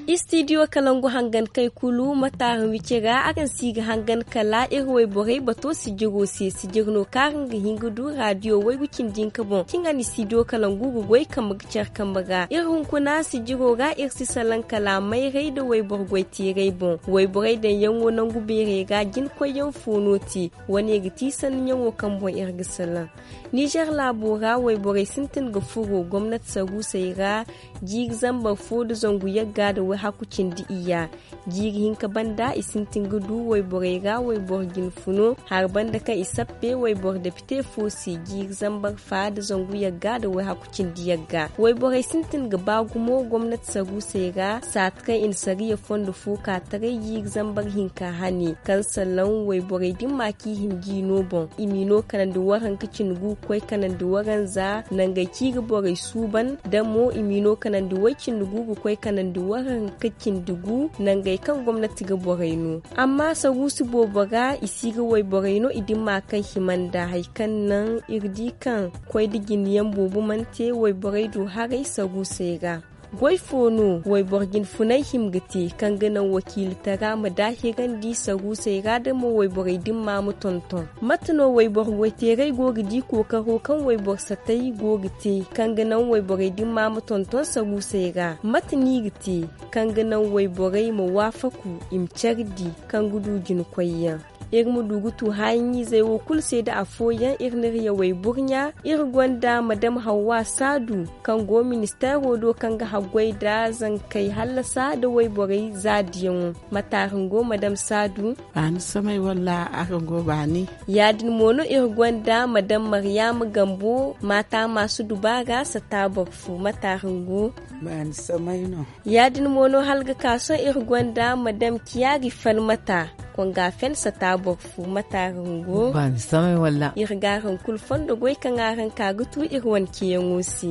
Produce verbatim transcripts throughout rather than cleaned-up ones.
Istidiyo kalangu hangan kay kulu mataara wici ra araŋ si ga hangan kala iri wayborey bato sijiro se sijir no kaŋ araŋ ga hin ga du radiyo waygu cindi hinka boŋ kaŋ a na istidiyo kalangu ga goy kambe ga care kambe ga iri hunkuna sijiro ra iri si salaŋ kala mayray nda wayboro goy teeray boŋ. Wayborey daŋ yaŋo nangu beerey ra jina koyyaŋ fo no te. Wane ga ti sanni ɲaŋo kaŋ boŋ iri ga salaŋ nizer laabo ra wayborey sintin ga furo gomnati saruusey ra jiiri zambar fo nda zangu yagga nda wayhaku cindi iyya. Jiiri hinka banda i sintin ga du wayborey ra wayboro jinfuno hari banda kaŋ i sappe wayboro depite fo se jiiri zambar fa nda zangu yagga nda wayhaku cindi yagga. Wayborey sintin ga ba gumo gomnati saruusey ra saati kaŋ i na sariya fondo fo ka taray jiiri zambar hinka hane kaŋ salaŋ wayborey dimma kaŋ i hima ga i no boŋ i m'i no kanandi waranka cindi gu ga koy kanandi waranza nangey kaŋ i ga borey suuban da mo i m'i no kanandi way cindi gu ga koy kanandi waranka cindi gu nangey kaŋ gomnati ga borey no. Amma saruusi boobo ra i si ga wayborey no i dimma kaŋ hima nda hari kaŋ naŋ iri di kaŋ koy nda jine yaŋ boobo mana te wayborey du haray saruusey ra. Goy fo no wayboro jinfunay hima ga te kaŋ ga naŋ wakiilitara ma daahirandi saruusey ra da mo wayborey dimma ma tonton? Mate no wayboro goyteeray go ga di kookaro kaŋ wayboro satay go ga te kaŋ ga naŋ wayborey dimma ma tonton saruusey ra? Mate no i ga te kaŋ ga naŋ wayborey ma waafaku i ma care di kaŋ ga du jina koyyaŋ? Iri ma du ga tu haayaŋ-izey wo kulu se nda afooyaŋ iri n'iri yawey burɲa. Iri gonda madam hawwa saadu kaŋ go ministeero do kaŋ ga haggoy nda zankey hallasa nda wayborey zaadiyaŋo. Mate araŋ go madam saadu? Baani samay walla araŋ go baani? Ya-din mo no iri gonda madam maryaama gambo maata maasu dubaara sata boro fo. Mate araŋ go? Baani samay no. Ya-din mo no hala ga ka sohõ iri gonda madam ciyaari falmata konga fen sata boro fo. Mate araŋ go? Baani samay walla? Iri ga araŋ kulu fondo goy kaŋ araŋ ka ga tu iri wane ceeyaŋo se.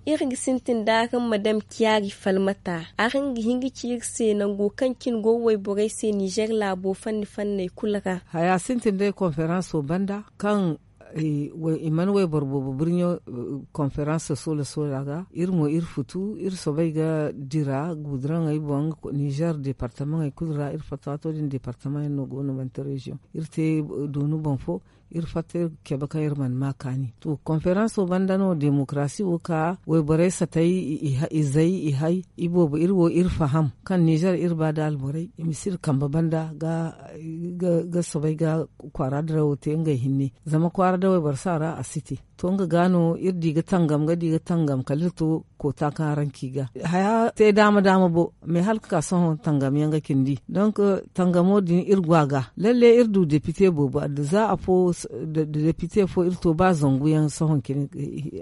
Iri ga sintin da araŋ madam ciyaari falmata araŋ ga hin ga ci iri se nango kaŋ cine go wayborey se nizer laabo fanni fanney kulu ra? Haya sintin day konferanso banda kaŋ i mana wayboro boobo birɲo konferans soola soola ga iri mo iri futu iri soobay ga dira guduraŋey boŋ. Nizer departamaŋey kulu ra iri fatta waato din departamaŋey no go no manti reziyoŋ iri te doonu boŋ fo. Iri fatta iri ga cabe kaŋ iri mana ma kaani to konferanso banda no demokarasi wo ka wayborey satay izey i hay iboobo iri wo iri faham kaŋ nizer iri ba da alborey i ma si iri kambe banda ga soobay ga kwaara dirawo te ngey hinne. Zama kwaara dawey boro si a ra a si te. To nga ga no iri di ga tangam ga di ga tangam kala iri to koota kaŋ araŋ ci ga haya te daama daama bo. Mais hala ga ka sohõ tangam yaŋ ga cindi donk tangamo din iri go a ga lalle iri du depite boobo adda za afo da depite fo iri to ba zangu yaŋ sohõ cine.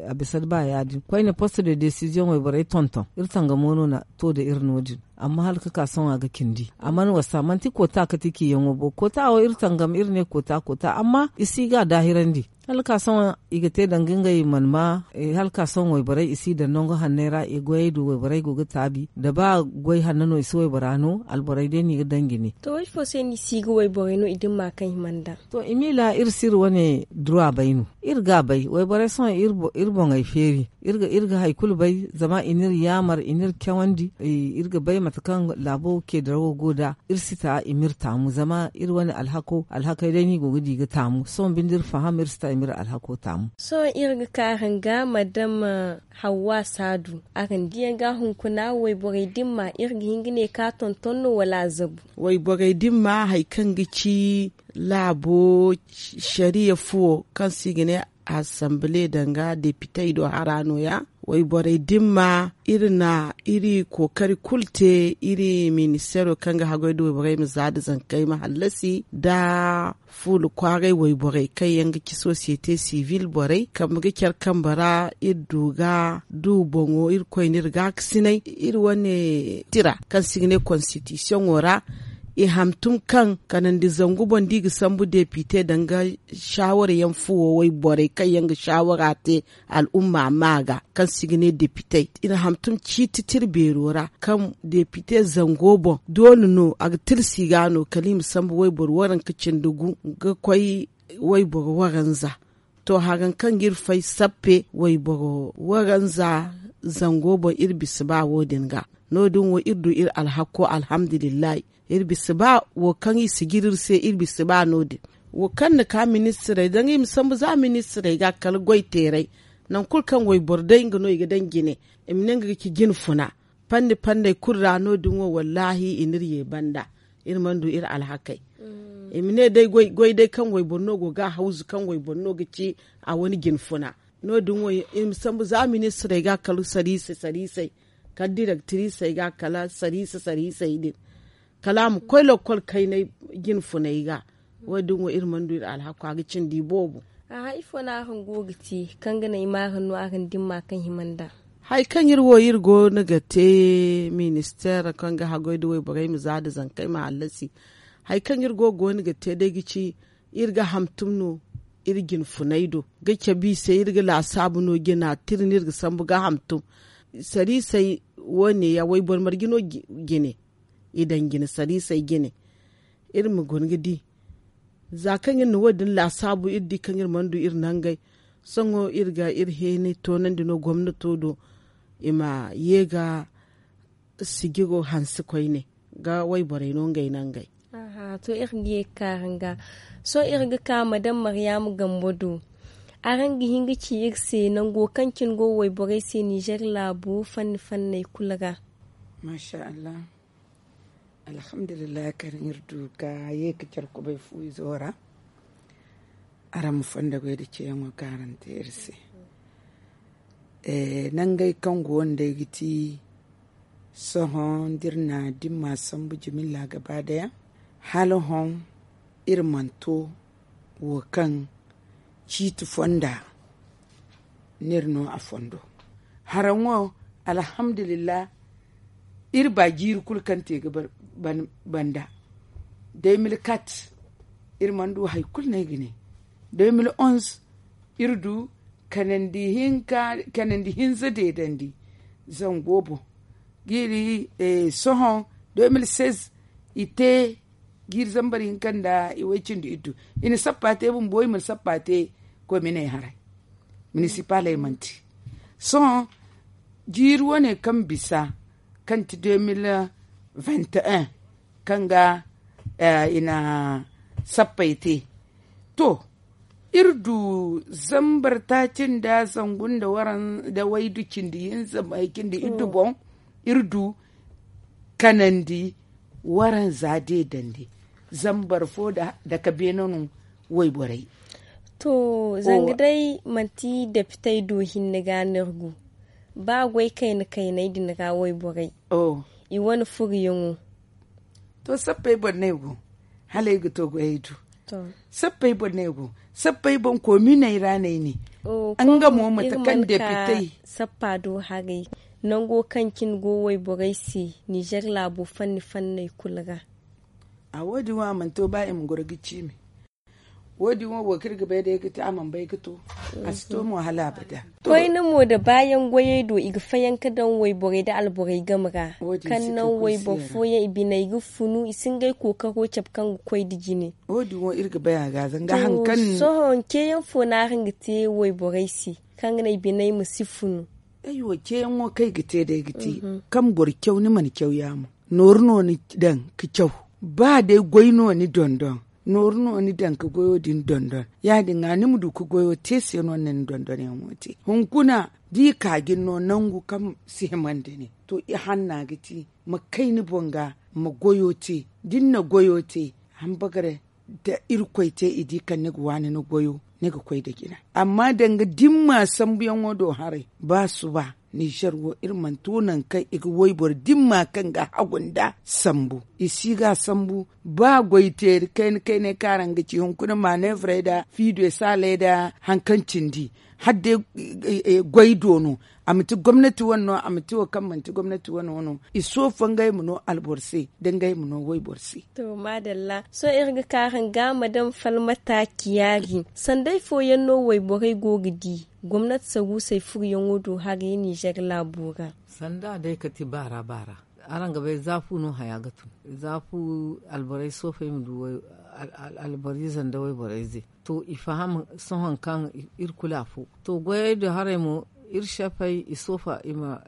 A bisa da ba ya- din koyne poste de desiziyoŋey borey tonton iri tangamo no na to da iri no- din. Amma hala ga ka sohõ a ga cindi a mana wasa manti koota kate ciyaŋo bo koota wo iri tangam iri ne koota koota amma i si ga a daahirandi. Hala ga ka sohõ i ga te danga ngey mana ma hala ga ka sohõ wayborey i si daŋ nangu hanney ra i goyey do wayborey go ga taabi da ba goy hanno no i si waybora no alborey day no i ga daŋ jine. To ifo se no i si ga wayborey no i dimma kaŋ i mana daŋ? To i miila iri si iri wane duruwa bay no. Iri ga a bay wayborey sohõ iri boŋey feeri iri ga hari kulu bay zama i n'iri yaamar i n'iri cawandi. Iri ga bay mate kaŋ laabo ceedirawo go nd'a iri si ta i m'iri taamu zama iri wane alhako alhakey day no i go ga di ga taamu sohõ binde iri faham iri si ta i m'iri alhako taamu. Sohõ iri ga ka araŋ ga madam hawwa saadu araŋ diyaŋ ga hunkuna wayborey dimma iri ga hin ga ne ka tonton no wala a zabu? Wayborey dimma hari kaŋ ga ci laabo sariya fuwo kaŋ se i ga ne asambile danga depitey do hara no- ya. Wayborey dimma iri na iri kookari kulu te iri ministeero kaŋ ga haggoy da wayborey ma za da zankey ma hallasi nda fuula kwaaray wayborey kaŋ yaŋ ga ci sosiyete sivil borey kambe ga care kambe ra iri du ga du boŋo iri koyne iri gaakasinay iri wane tira kaŋ se i ga ne konstitisiyoŋo ra. I hantum kaŋ kanandi zangu boŋ da i ga sambu depite danga shaawara yaŋ fuwo wayborey kaŋ yaŋ ga shaawara te al'umma ma ga kaŋ si ga ne depite. I na hantum ciiti tira beero ra kaŋ depite zango boŋ doole no a ga tirsi ga no kala i ma sambu wayboro waranka cindi gu ga koy wayboro waranza. To haran kaŋ ga iri fay sappe wayboro waranza zango boŋ iri bisa ba wo- din ga. No- din wo iri du iri alhakko alhamdulillahi. Iri bisa ba wo kaŋ i si jiri iri se iri bisa ba no- din. Wo kaŋ na ka ministirey danga i ma sambu za ministirey ga kala goy teeray. Nangu kulu kaŋ wayboro day nga no i ga daŋ jine. I ma ne nga ga ci jine funa. Panni panney kulu ra no- din wo wallaahi i n'iri ye banda. Iri mana du iri alhakey. I ma ne day goy day kaŋ wayboro no go ga a hawzu kaŋ wayboro no ga ci a wane jine funa. No- din wo i ma sambu za ministirey ga kala sariisey sariisey kala direktirisey ga kala sariise sariisey din. Kala a ma koy lakkol kaynay jine funey ga. Wo- din wo iri mana du iri alhakku a ga cindi boobo. Aha ifo no araŋ go ga te kaŋ ga naŋ i ma araŋ no araŋ dimma kaŋ hima nd'a? Hari kaŋ iri wo iri go no ga te ministeer kaŋ ga haggoy nda wayborey ma za nda zankey ma hallasi. Hari kaŋ iri go ga te day ga ci iri ga hamtum no iri jine funey do ga cabe i se iri ga laasaabu no jina tira no iri ga sambu ga hamtum. Sariisey wo- ne ya wayboro marje no jine i daŋ jine sariisey jine. Iri ma guna ga di za kaŋ iri na wo- din laasaabu iri di kaŋ iri mana du iri nangey. Sohõ iri ga iri heenay toonandi no gomnato do i ma ye ga sijiro hanse koyne ga wayborey no ngey nangey. To iri ga ye ga ka araŋ ga. Sohõ iri ga ka madam maryaama gambo do. Araŋ ga hin ga ci iri se nango kaŋ cine go wayborey se ninzeer laabu fanni fanney kulu ra? Maasa allah. Alhamdulillahi kaŋ iri du ga ye ga care kubay fu izo ra. Araŋ ma fondo goy nda ceeyaŋo kaŋ araŋ te iri se. Nangey kaŋ go wo nd'ey ga ti sohõ da iri na dimma sambu jimilla gaba daya hala hõ iri mana to wo kaŋ ciiti fonda no iri no a fondo. Haraŋo alhamdulillah. Iri ba jiiri kulu kaŋ te ga banda. Day mil kat iri mana du hari kulu no ay ga ne. Day mil onz iri du kanandi hinza deedandi. Zango boŋ ga iri sohõ day mil seize i te jiiri zambar hinka nda i way cindi iddu. I na sappa te bumbo i mana sappa te kominey haray. Minisipaley mana te. Sohõ jiiri wane kaŋ bisa kaŋ ti deux mille vingt et un kaŋ ga i na sappey te. To iri du zambar taaci nda zangu nda waydu cindi hinza cindi iddu boŋ. Iri du kanandi waranza deedandi zambar fo nda dake beene no wayborey. To zanga day manti depitey do hinne ga no iri go ba goy kayna kayney din ra wayborey i wane furuyaŋo. To sappey boŋ no ay go hala ay ga to goyey do. Sappey boŋ no ay go sappey boŋ kominey ra no ay ne. Nga mo mate kaŋ depitey sappa do haray nango kaŋ cine go wayborey se ninzeer laabo fanni fanney kulu ra. A wo- din wo a mana to ba i ma goro ga ciimi. Wo- din wo wo kaŋ iri ga bay day ga te a mana bay ga to. A si to mo hala abada. Koyne mo nda baayaŋ goyey do i ga fayanka daŋ wayborey nda alborey game ra kaŋ naŋ wayboro fooyaŋ i biney ga funu i si ngey kookaro cabe kaŋ ga koy nda jine. Wo- din wo iri ga bay a ga zanga hari kaŋ sohõ ceeyaŋ fo no araŋ ga te wayborey se kaŋ ga naŋ i biney ma si funu? Ay wo ceeyaŋo kaŋ ay ga te day ga ti kaŋ boro caw ni mana caw yaamo. Nooru no ni daŋ ga caw ba day goy no ni dondon nooru no ni daŋ ga goyo din dondon. Ya- din ga ni ma du ga goyo te se no ni na ni dondonyaŋo te hunkuna da i ka ga ni no nangu kaŋ si himandi ni. To i hanna ga ti ma kay ni boŋ ga ma goyo te. Da ni na goyo te hambagare da irkoy te i di kaŋ ni ga waani ni goyo ni ga koy nda jina. Amma danga dimma sambuyaŋo do haray ba suba ninzeer wo iri mana to nangu kaŋ i ga wayboro dimma kaŋ ga hagu nda sambu. I si ga sambu ba goy teeri kayna kaynay kaŋ araŋ ga ci hunkuna manevrey nda fiido saaley nda hari kaŋ cindi. Hala day goy do no. A ma ti gomnati wane no, a ma ti wo kaŋ manti gomnati wane no. I soofo ngey ma no alboro se, da ngey ma no wayboro se. To, maadalla. Sohõ iri ga ka hanga ma daŋ falmata ciyaari. Sanday fooyaŋ no wayborey go ga di gomnati saruusey furuyaŋo do haray ninzeer laabo ra? Sanda day ka ti baara baara. Araŋ ga bay za fu no haya ga tun. Za fu alborey soofey ma du alboriize nda wayborey ze. To i faham sohõ kaŋ iri kulu afo. To goyey do haray mo, iri sefey i soofa i ma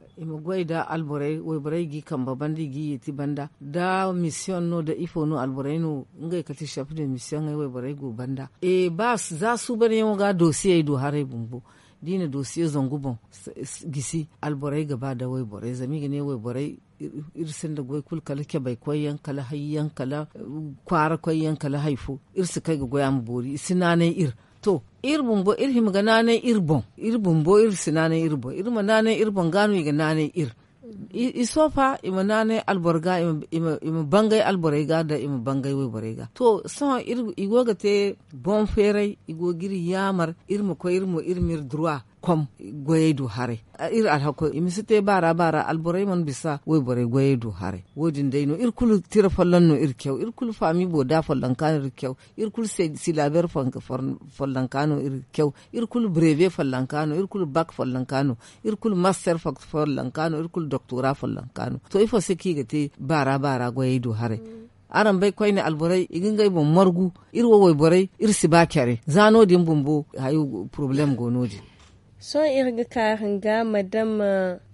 goy nda alborey wayborey g'i kambe banda i g'i yeeti banda da misiyoŋ no da ifo no alborey no. Ngey kate sef de misiyoŋey wayborey go banda. Ba za suubanyaŋo ga doosiyey do haray bumbo, da i na doosiye zangu boŋ gisi, alborey ga ba nda wayborey zama i ga ne wayborey iri sinda goy kulu kala cabay koyyaŋ kala hayyaŋ kala kwaara koyyaŋ kala hari fo. Iri si kay ga goy a ma boori i si naanay iri. To, iri bumbo iri hima ga naanay iri boŋ. Iri bumbo iri si naanay iri boŋ iri ma naanay iri boŋ ga no i ga naanay iri. I soofa i ma naanay alboro ga, i ma bangay alborey ga nda i ma bangay wayborey ga. To sohõ i go ga te boŋ feeray i go ga iri yaamar iri ma koy iri ma iri duruwa kom goyey do haray. Iri alhako i ma si te baara baara alborey mana bisa wayborey goyey do haray. Wo- din day no iri kulu tira folloŋ no iri caw iri kulu faami booda follonka no iri caw. Iri kulu silaaber follonka no iri caw. Iri kulu breebe follonka no iri kulu bak follonka no. Iri kulu master follonka no iri kulu doktora follonka no to ifo se kaŋ i ga te baara baara goyey do haray? Araŋ bay koyne alborey i ga ngey boŋ margu. Iri wo wayborey iri si ba care za no- din bumbo hayo porobalem go no- din. Sohõ iri ga ka hanga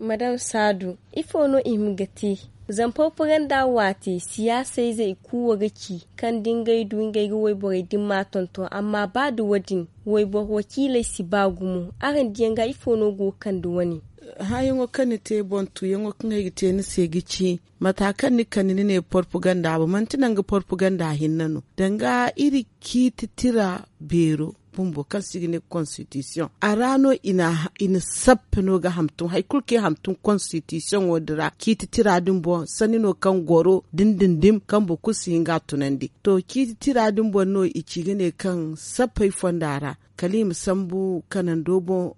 madam saadu, ifo no i hima ga te? Zama porpaganda waati siyaasayze i kuuwa ga ci kaŋ da ngey du ngey ga wayborey dimma tonton amma ba da wo- din wayboro wakiiley si ba gumo. Araŋ diyaŋ ga ifo no go ga kande wane? Hããyaŋo kaŋ ni te boŋ tuuyaŋo kaŋ ay ga te ni se ga ci mata kaŋ ni kande ni ne porpaganda boŋ manti nanga porpaganda hinne no danga iri ciiti tira beero bumbo kaŋ se i ga ne konstitisiyoŋ a ra no i na sappe no ga hamtum hari kulu kaŋ i hamtum konstitisiyoŋo din ra ciiti tira din boŋ sanni no kaŋ goro dindindim kaŋ boro kulu si hin ga a tunandi. To ciiti tira din boŋ no i ci ga ne kaŋ sappey fonda ra kala i ma sambu kanando boŋ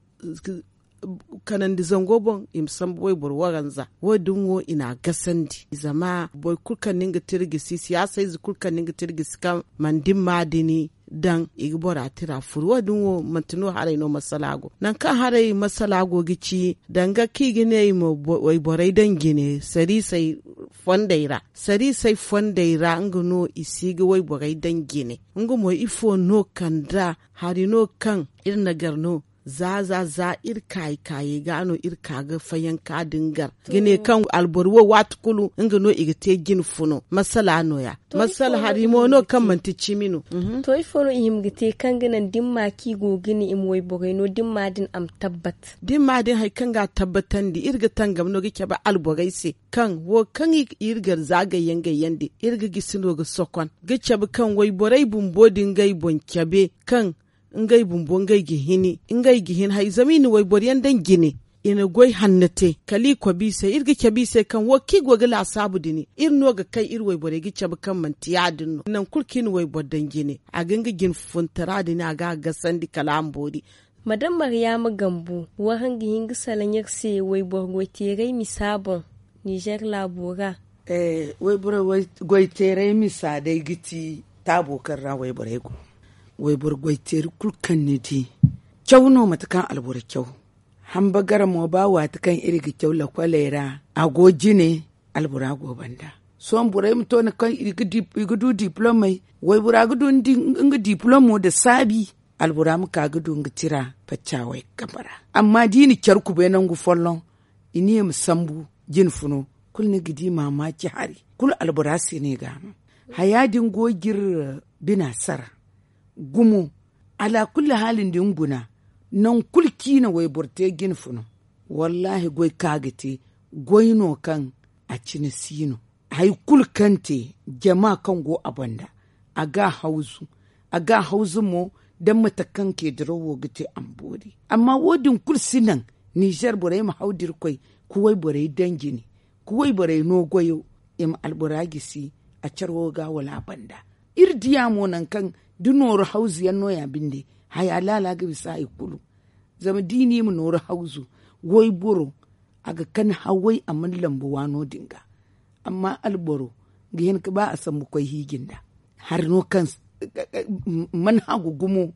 kanandi zango boŋ i ma sambu wayboro waranza wo- din wo i na a gasandi zama boro kulu kaŋ no nga te iri gisi siyaasa ize kulu kaŋ no nga te iri gisi kaŋ mana dimma din daŋ i ga bora tira furu wo- din wo manti no haray no masala go nangu kaŋ haray masala go ga ci danga kaŋ i ga ne i ma wayborey daŋ jine sariisey fondey ra sariisey fondey ra nga no i si ga wayborey daŋ jine. Nga mo ifo no kanda hari no kaŋ iri na gar no za za za iri kaayi kaayey ga no iri ka ga fayanka din gar ga ne kaŋ alboro wo waati kulu nga no i ga te jine funo masala no- ya masala hari mo no kaŋ manti cimi no. To ifo no i hima ga te kaŋ ga naŋ dimma kaŋ i go ga ne i ma wayborey no dimma din a ma tabbat? Dimma din hari kaŋ ga a tabbatandi iri ga tangam no ga cabe alborey se kaŋ wo kaŋ iri gar za gayyaŋ gayyaŋ din iri ga gisi no ga sokon ga cabe kaŋ wayborey bumbo din ga ay boŋ cabe kaŋ ngey bumbo ngey ga hini ngey ga hini hari zama i na wayboro yaŋ daŋ jine i na goy hanno te kala i kobi i se iri ga cabe i se kaŋ wo kaŋ i go ga laasaabu din iri no ga kay iri wayborey ga cabe kaŋ manti ya- din no nangu kulu kaŋ i na wayboro daŋ jine a ga nga jine funtara din a ga a gasandi kala a ma boori. Madam maryaama gambu waraŋ ga hin ga salaŋ iri se wayboro goyteeray misa boŋ nizer laabo ra. Wayboro goyteeray misa day ga ti taabo kaŋ ra wayborey go wayboro goyteeri kulu kaŋ ni di caw no mate kaŋ alboro caw. Hamba gara mo ba waati kaŋ iri ga caw lakwaley ra a go jine albora go banda. Sohõ borey ma to ni kaŋ i ga du diplomey waybora ga du nga diplomo nda saabi albora ma ka ga du nga tira faccawey kambe ra. Amma da i na care kubay nangu folloŋ i ne i ma sambu jine funo kulu ni ga di maamaaci hari kulu albora se no i ga a no. Haya din go ga iri bina sara gumo alaakulli haali nda ni guna nangu kulu kaŋ i na wayboro te jine funo wallaahi goy kaŋ a ga te goy no kaŋ a cine si no. Hari kulu kaŋ te jama kaŋ go a banda a ga a hawzu a ga a hawzu mo da mate kaŋ keediro wo ga te a ma boori. Amma wo- din kulu si naŋ nizer borey ma haw da irkoy ka wayborey daŋ jine ka wayborey no goyo i ma albora gisi a care wo ga wala a banda. Iri diya mo nangu kaŋ da nooru hawzu yaŋ no- ya binde haya laala ga bisa hari kulu. Zama da i ne i ma nooru hawzu, wayboro a ga kan haway a mana lambu waano din ga. Amma alboro ga hin ga ba a sambu koy hiiji nda hari no kaŋ mana hagu gumo.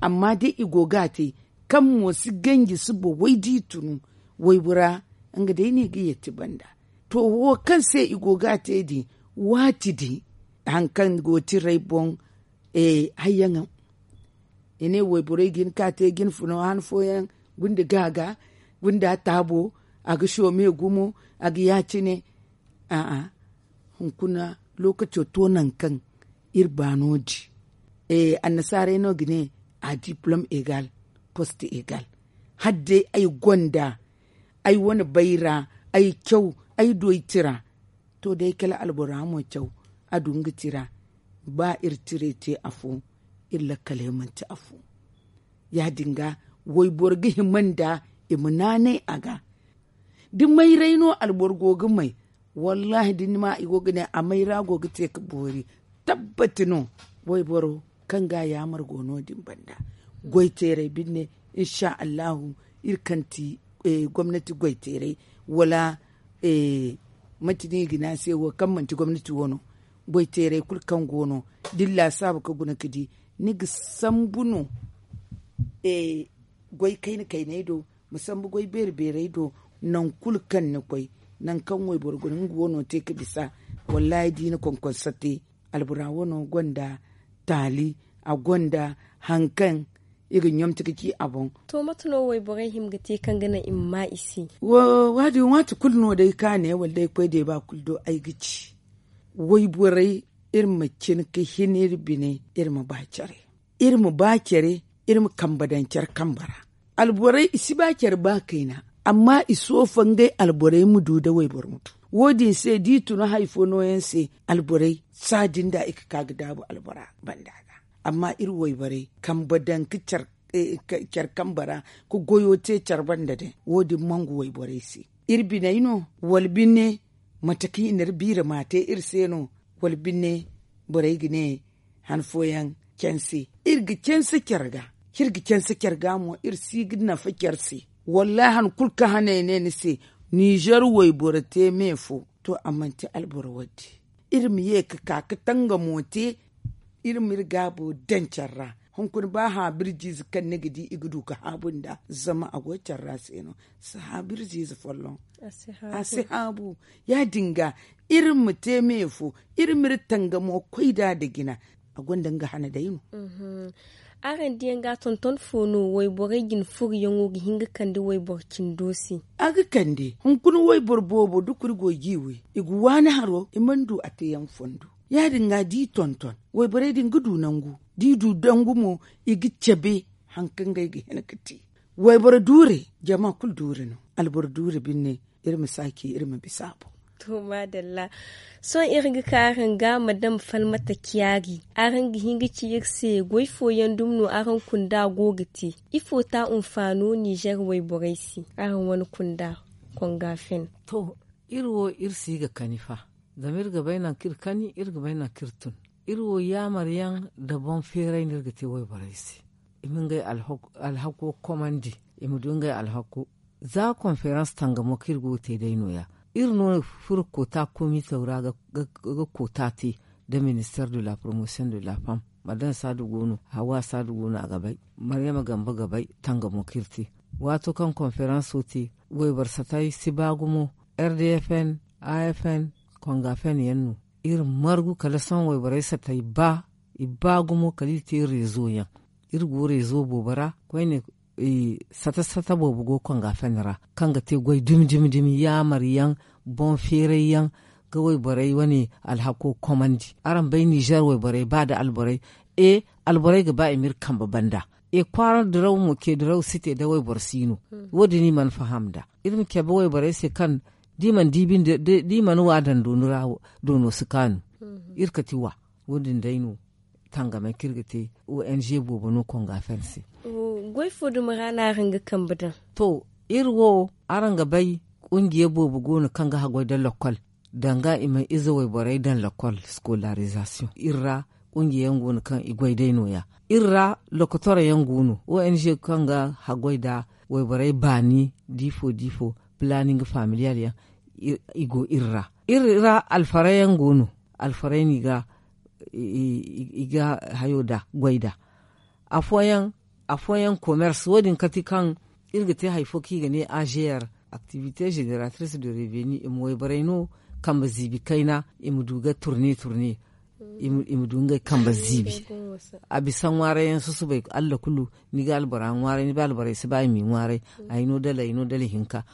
Amma day i go ga a te kaŋ mo si ganji si baway da i tunu waybora, nga day no i ga yeeti banda. To wo kaŋ se i go ga a te din, waati din hari kaŋ go tiray boŋ hayyaŋo. I ne wayborey ga hin ka te ga hin funa han fooyaŋ gunda ga a ga gunda taabo, a ga soome gumo, a ga ya- cine. A'a, hunkuna lookaco to nangu kaŋ iri ba no- din. Annasaarey no ga ne a diplom egal, post egal. Hala day ay gonda ay wane bayra, ay caw, ay doy tira. To day kala albora mo caw, a du nga tira. Ba iri tiray te afo, iri lakkaley manti afo. Ya- din ga wayboro ga hima nda i ma naanay a ga. Da mayray no alboro go ga may, wallaahi da ni ma i go ga ne a mayra go ga te ga boori. Tabbati no, wayboro kaŋ ga yaamar go no- din banda. Goyteeray binne, insa allahu, iri kaŋ ti gomnati goyteeray, wala manti no i ga ne a se wo kaŋ manti gomnati wo no. Goyteeray kulu kaŋ go no, da ni laasaabu ga guna ga di, ni ga sambu no. Goy kayna kayney do, ma sambu goy beeri beerey do. Nangu kulu kaŋ ni koy, nangu kaŋ wayboro guna nga wano te ga bisa. Wallaahi da i na konkonso te, albora wano gonda taali, a gonda hari kaŋ i ga ɲomti ga ci a boŋ. To mate no wayborey hima ga te kaŋ ga naŋ i ma ma i se? Wo- din waati kulu no day ka ne wala day koy deeba kulu do ay ga ci, wayborey, iri ma cine ga hin iri bine, iri ma ba care, iri ma ba care, iri ma kambe daŋ care kambe ra. Alborey i si ba care ba kayna, amma i soofa ngey alborey ma du nda wayboro ma du. Wo- din se da i tun hari fo nooyaŋ se, alborey saadin da i ga ka ga daabu albora banda ga. Amma iri wayborey kambe daŋ ga care kambe ra, ga goyo te care banda day, wo- din mangu wayborey se. Iri biney no, wala binne, mate kaŋ i na iri biira ma te iri se no, wala binne, borey ga ne han fooyaŋ canse. Iri ga canse care ga, iri ga canse care ga mo, iri si ga nafa care se. Wallaahi han kulu kaŋ hane ay ne ni se, ninzeer wayboro te me fo, to a manti alboro wadde. Iri ma ye ga ka ga tangamo te. Iri ma iri gaabo daŋ care ra. Hunkuna ba haabirjiize kaŋ ni ga di i ga du ga haabu nd'a, zama a go care ra se no. Si haabirjiize folloŋ, a si haabu. Ya- din ga, iri ma te me fo, iri ma iri tangamo koy nd'a nda jina. A gonda nga hana day no. Araŋ diyaŋ ga tonton fo no wayborey jina furiyaŋo ga hin ga kande wayboro cindo se? A ga kande. Hunkuna wayboro boobo da kuri go ga i way, i ga waani haro i mana du a teeyaŋ fondo. Ya- din ga da i tonton, wayborey din ga du nangu, da i du dangu mo, i ga cabe hari kaŋ ngey ga hin ga te. Wayboro duure, jama kulu duure no. Alboro duure binne, iri ma saaci, iri ma bisa a boŋ. To maadalla. Sohõ iri ga ka araŋ ga madam falmata ciyaari, araŋ ga hin ga ci iri se goy fooyaŋ dumi no araŋ kunda go ga te? Ifo ta hunfaano ninzeer wayborey se araŋ wane kunda? Konga fen. To, iri wo iri si ga kani fa. Zama iri ga bay nangu kaŋ iri kani, iri ga bay nangu kaŋ iri tun. Iri wo yaamar yaŋ nda boŋ feeray no iri ga te wayborey se, i ma ngey alhako komandi, i ma du ngey alhako. Za konferans tangamo kaŋ iri go ga te day nooya, iri no furo koota komitew ra ga koota te, nda minister de la promotion de la femme, madam saadu go no, hawa saadu go no a ga bay, maryama gambe ga bay tangamo kaŋ iri te. Waato kaŋ konferanso te, wayboro satay si ba gumo. R D F N, A F N, konga fen yaŋ no. Iri margu kala sohõ wayborey satay ba, i ba gumo kala iri te rezo yaŋ. Iri go rezo boobo ra koyne. Sata sata boobo go konga fen ra kaŋ ga te goy dumi dumi dumi yaamar yaŋ, boŋ feeray yaŋ, ga wayborey wane alhako komandi. Araŋ bay ninzeer wayborey ba nda alborey, e, alborey ga ba i ma iri kambe banda. E kwaara diraw mo ce diraw si te da wayboro si no. Wo- din i mana faham nd'a. Iri ma cabe wayborey se kaŋ da i mana di binde da i mana wa daŋ dooni ra, doono si kaanu. Iri kati wa. Wo- din day no tangamey kaŋ iri ga te. O N G boobo no konga fen se. Goy fo dumi ra no araŋ ga kambe daŋ? To, iri wo, araŋ ga bay, kungiya boobo go no kaŋ ga haggoy nda lakkol, danga i ma ize wayborey daŋ lakkol, scolarisation iri ra. Kungiya yaŋ go no kaŋ i goy day no- ya. Iri ra lokotora yaŋ go no, o n g kaŋ ga haggoy nda wayborey baani diifo diifo, planning familiyal yaŋ. I go iri ra. Iri ra alfaray yaŋ go no. Alfaray no i ga hayo nda goy nda afooyaŋ commerce wo- din kati kaŋ iri ga te hari fo kaŋ i ga ne a g r, activité génératrice de revenu, i ma wayborey no kambe ziibi kayna, i ma du ga turne turne, i ma du ngey kambe ziibi. A bisa ŋwaaray yaŋ susubay, allah kulu ni ga albora ŋwaaray, ni ba alborey si ba i m'i ŋwaaray. Ay no dala ay no dala hinka.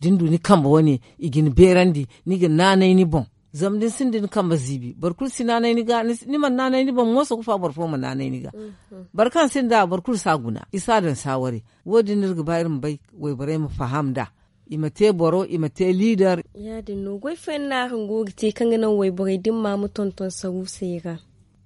Da ni du ni kambe wane, i ga ni beerandi, ni ga naanay ni boŋ. Zama da ni sinda ni kambe ziibi, boro kulu si naanay ni ga. Ni mana naanay ni boŋ mo sokofa boro fo ma naanay ni ga. Boro kaŋ sinda boro kulu si a guna, i si a daŋ saaware. Wo- din no iri ga ba iri ma bay, wayborey ma faham nd'a. I ma te boro, i ma te liidar. Ya- din no goy fooyaŋ no araŋ go ga te kaŋ ga naŋ wayborey da ni ma ma tonton saruusey ra?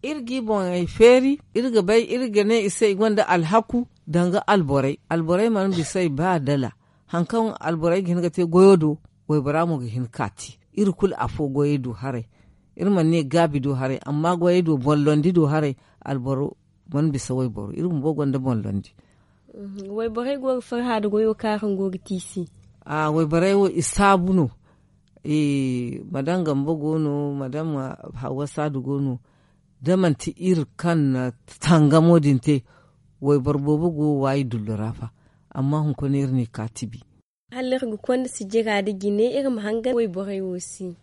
Iri g'i boŋey feeri, iri ga bay, iri ga ne i se i gonda alhaku danga alborey. Alborey mana bisa i ba dala. Hari kaŋ alborey ga hin ga te goyo do, waybora mo ga hin ka te. Iri kulu afo goyey do haray. Iri mana ne gaabi do haray, amma goyey do boŋ londi do haray. Alboro mana bisa wayboro, iri bumbo gonda boŋ londi. Wayborey go ga farha nda goyo kaŋ araŋ go ga te i se? Wayborey wo i saabu no. Madam gambo go no, madam hawwa saadu go no. Da manti iri kaŋ na tangamo din te, wayboro boobo go ga waayi dullu ra fa. Amma hunkuna iri n'i ka tibi. Hala iri ga konda sijira nda jine, iri ma hangan wayborey wo se.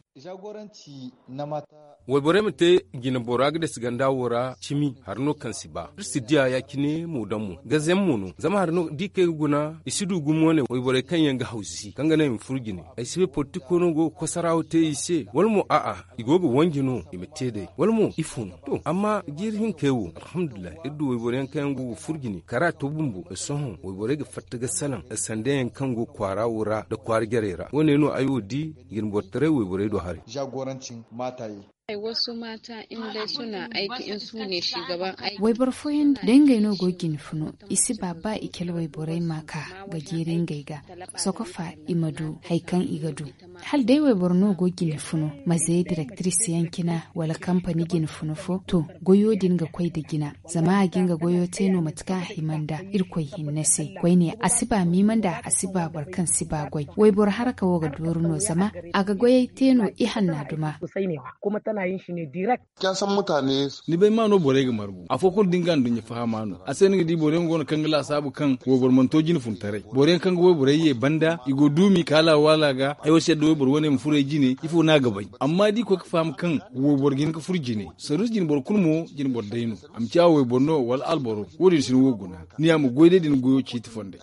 Wayborey ma te jine bora ga dasi ganda wo ra cimi hari no kaŋ si ba iri si diya ya- cine mo daŋ mo gazeyaŋ mo no. Zama hari no da i kay ga guna i si du gumo ne wayborey kaŋ yaŋ ga hawsi kaŋ ga naŋ i ma furo jine. Ay si bay politiko no go ga kosarawo te i se wala mo a'a, i go ga wanji no i ma te day wala mo ifo no? To amma jiiri hinkey wo alhamdulillahi iri du wayboro yaŋ kaŋ yaŋ go ga furo jine kara to bumbo da sohõ wayborey ga fatta ga salaŋ sanda yaŋ kaŋ go kwaara wo ra nda kwaara jarey ra wo- ne no ay wo di. Jine boro taray wayborey do haray. Wayboro fooyaŋ day ngey no go ga jine funo i si ba ba i kele wayborey ma ka ga jeeri ngey ga. Sokofa i ma du hari kaŋ i ga du. Hala day wayboro no go ga jine funo ma zay direktiris yaŋ cina wala kampani jine funo fo to goyo din ga koy nda jina. Zama a ga nga goyo te no mate kaŋ a hima nda irkoy hinne se koyne a si ba miima nda a si ba boro kaŋ si ba goy wayboro haraka wo ga dooru no zama a ga goyey te no ihanna duma. Ni bay ma no borey ga margu afo kulu da ni ga nduɲɲa fahama no a se ni ga di boro yaŋ go no kaŋ ga laasaabu kaŋ wayboro mana to jine funtaray. Boro yaŋ kaŋ ga wayborey ye banda i go duumi kaala waala ga ay wo si yadda wayboro wane ma furo ay jine ifo no a ga bay. Amma da i koy ga faham kaŋ wayboro ga hin ga furo jine saruusu jine boro kulu mo jine boro day no. A ma ciya wayboro no wala alboro wo- din si ni wo guna ni ya ma goy day da ni goyo ciiti fonday.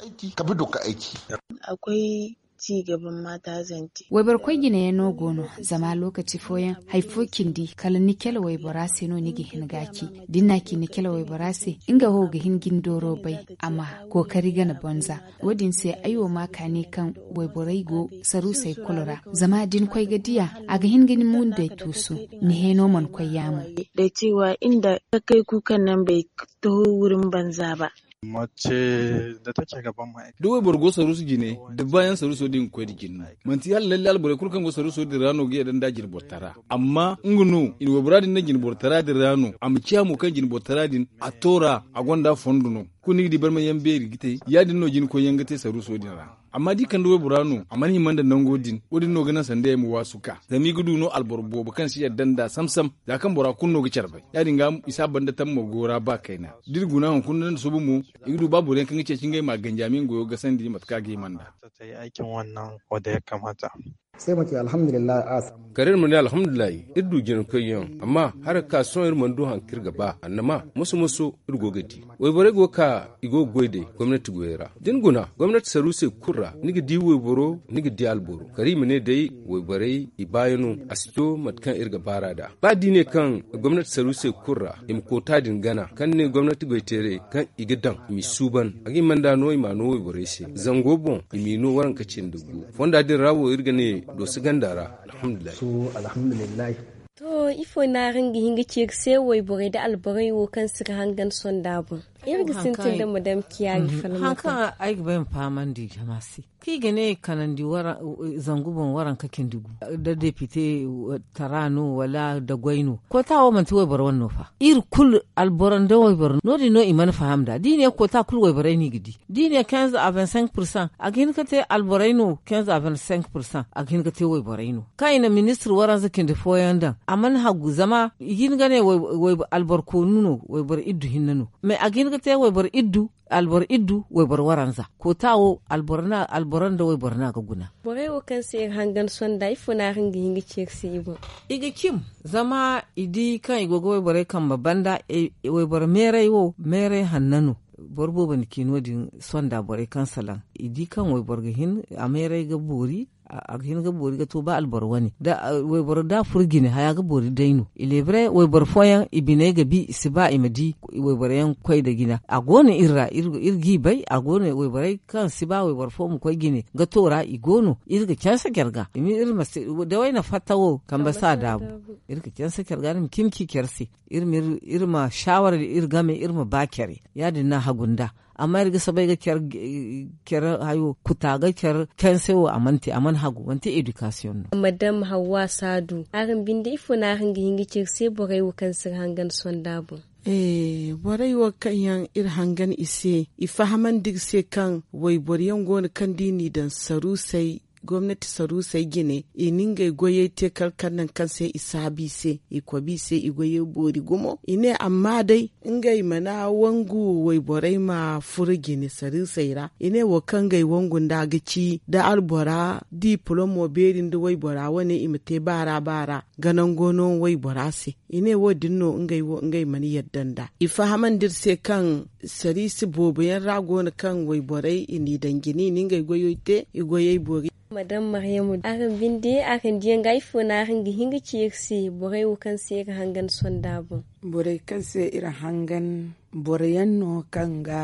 Wayboro koy jine yaŋ no go no zama lokaci fooyaŋ hari fo cindi kala ni cale waybora se no ni ga hin ga a ci. Da ni n'a ci ni cale waybora se nga wo ga hin ga ni dooro bay a ma kookari gana banza. Wo- din se ay wo ma kaani kaŋ wayborey go saruusey kulu ra zama da ni koy ga diya a ga hin ga ni mundey tuusu. Ni heeno mana koy yaamo. Takey kulu kaŋ naŋ bay taho wurin banza ba. Da wayboro go saruusu jine da baayaŋ saruuso din ga koy nda jine no. Manti hala lalle alborey kulu kaŋ go saruuso din ra no ga yadda nda jine bortara amma nga no i na waybora din naŋ jine bortara din ra no a ma ciya mo kaŋ jine bortara din a toora a gonda fondo no. Kulu ni ga di barmayaŋ beeri ga te ya- din no jine koyyaŋ ga te saruuso din ra. Amma da i kande waybora no a mana hima nda nango din wo- din no ga naŋ sanda yaŋ ma waasu ka zama i ga du no alboro boobo kaŋ si yadda nda sam sam. Za kaŋ bora kulu no ga care bay ya- din ga i si a banda tammo go ra ba kayna. Da iri guna hunkuna nda suba mo i ga du ba boro yaŋ kaŋ ga ceeci ngey ma ganji a ma nga goyo gasandi mate kaŋ a ga hima nda. Kala iri ma ne alhamdulillahi iri du jina koyyaŋ amma hari ga ka sohõ iri mana du hari kaŋ iri ga ba annama moso moso iri go ga di. Wayborey go ga ka i go ga goy day gomnati goyey ra da ni guna gomnati saruusey kulu ra ni ga di wayboro ni ga di alboro kala i ma ne day wayborey i baayano a si to mate kaŋ iri ga baar'a nd'a. Ba da i ne kaŋ gomnati saruusey kulu ra i ma koota din gana kaŋ ni ne gomnati goyteerey kaŋ i ga daŋ i m'i suuban a ga hima nd'a no i m'a no wayborey se zango boŋ i m'i no waranka cindi gu fonda din ra wo iri ga ne dooso ganda ra. Alhamdulillahi. To ifo no araŋ ga hin ga ci iri se wayborey nda alborey wo kaŋ si ga hangan sonda boŋ? Iri ga sintin da madam kiyaari falmata. Haŋ kaŋ ay ga bay ma fahamandi jama se, kaŋ i ga ne kanandi zangu boŋ waranka cindi gu, da depite tara no wala da goy no, koota wo manti wayboro wane no fa. Iri kulu alboro nda wayboro no- din no i mana faham nd'a da i ne koota kulu wayborey no i ga di. Da i ne quinze à vingt cinq pourcent a ga hin ga te alborey no quinze à vingt cinq pourcent a ga hin ga te wayborey no. Kaŋ i na ministir waranza cindi fooyaŋ daŋ a mana hagu zama i ga hin ga ne alboro koonu no wayboro iddu hinne no. Mais a ga hin ga te wayboro iddu alboro iddu wayboro waranza koota wo alboro nda wayboro no a ga guna. Borey wo kaŋ se iri hangan sonda ifo no a ga hin ga ci iri se i boŋ? I ga cim zama i di kaŋ i go ga wayborey kambe banda. Wayboro meeray wo meeray hanna no. Boro boobo na ci no- din sonda borey kaŋ salaŋ i di kaŋ wayboro ga hin a meeray ga boori. A ga hin ga boori ga to ba alboro wane da wayboro da a furo jine haya ga boori day no. Ilebre wayboro fooyaŋ i biney ga bi i si ba i ma di wayboro yaŋ koy nda jina a go no iri ra. Iri g'i bay a go no wayborey kaŋ si ba wayboro fo ma koy jine ga to ra i go no iri ga canse care ga. Dawey na fatta wo kambe si a daabu. Iri ga canse care ga ni ma cimi ci care se. Iri ma shawara iri game iri ma ba care ya- din no a hagu nd'a. Amma iri ga soobay ga care hayo kuta ga care canse wo a mana te a mana hagu manti edikasiyoŋ no. Madam hawwa saadu araŋ binde ifo no araŋ ga hin ga ci iri se borey wo kaŋ si iri hangan sonda boŋ? Borey wo kaŋ yaŋ iri hangan i se i fahamandi iri se kaŋ wayboro yaŋ go no kaŋ da i n'i daŋ saruusey gomnati saruusey jine i na ngey goyey te kala kaŋ nangu kaŋ se i saabu i se i kobi i se i goyey boori gumo i ne amma day ngey mana wangu wayborey ma furo jine saruusey ra i ne wo kaŋ ngey wangu nd'a ga ci da albora dipolomo beeri nda waybora wane i ma te baara baara ga nango no waybora se. I ne wo- din no ngey wo ngey mana yadda nd'a i fahamandi iri se kaŋ sariisi boobo yaŋ ra go no kaŋ wayborey i n'i daŋ jine i na ngey goyey te i goyey boori. Madam maryamu araŋ binde araŋ diyaŋ ga ifo no araŋ ga hin ga ci iri se borey wo kaŋ se iri hangan sonda boŋ? Borey kaŋ se iri hangan boro yaŋ no kaŋ ga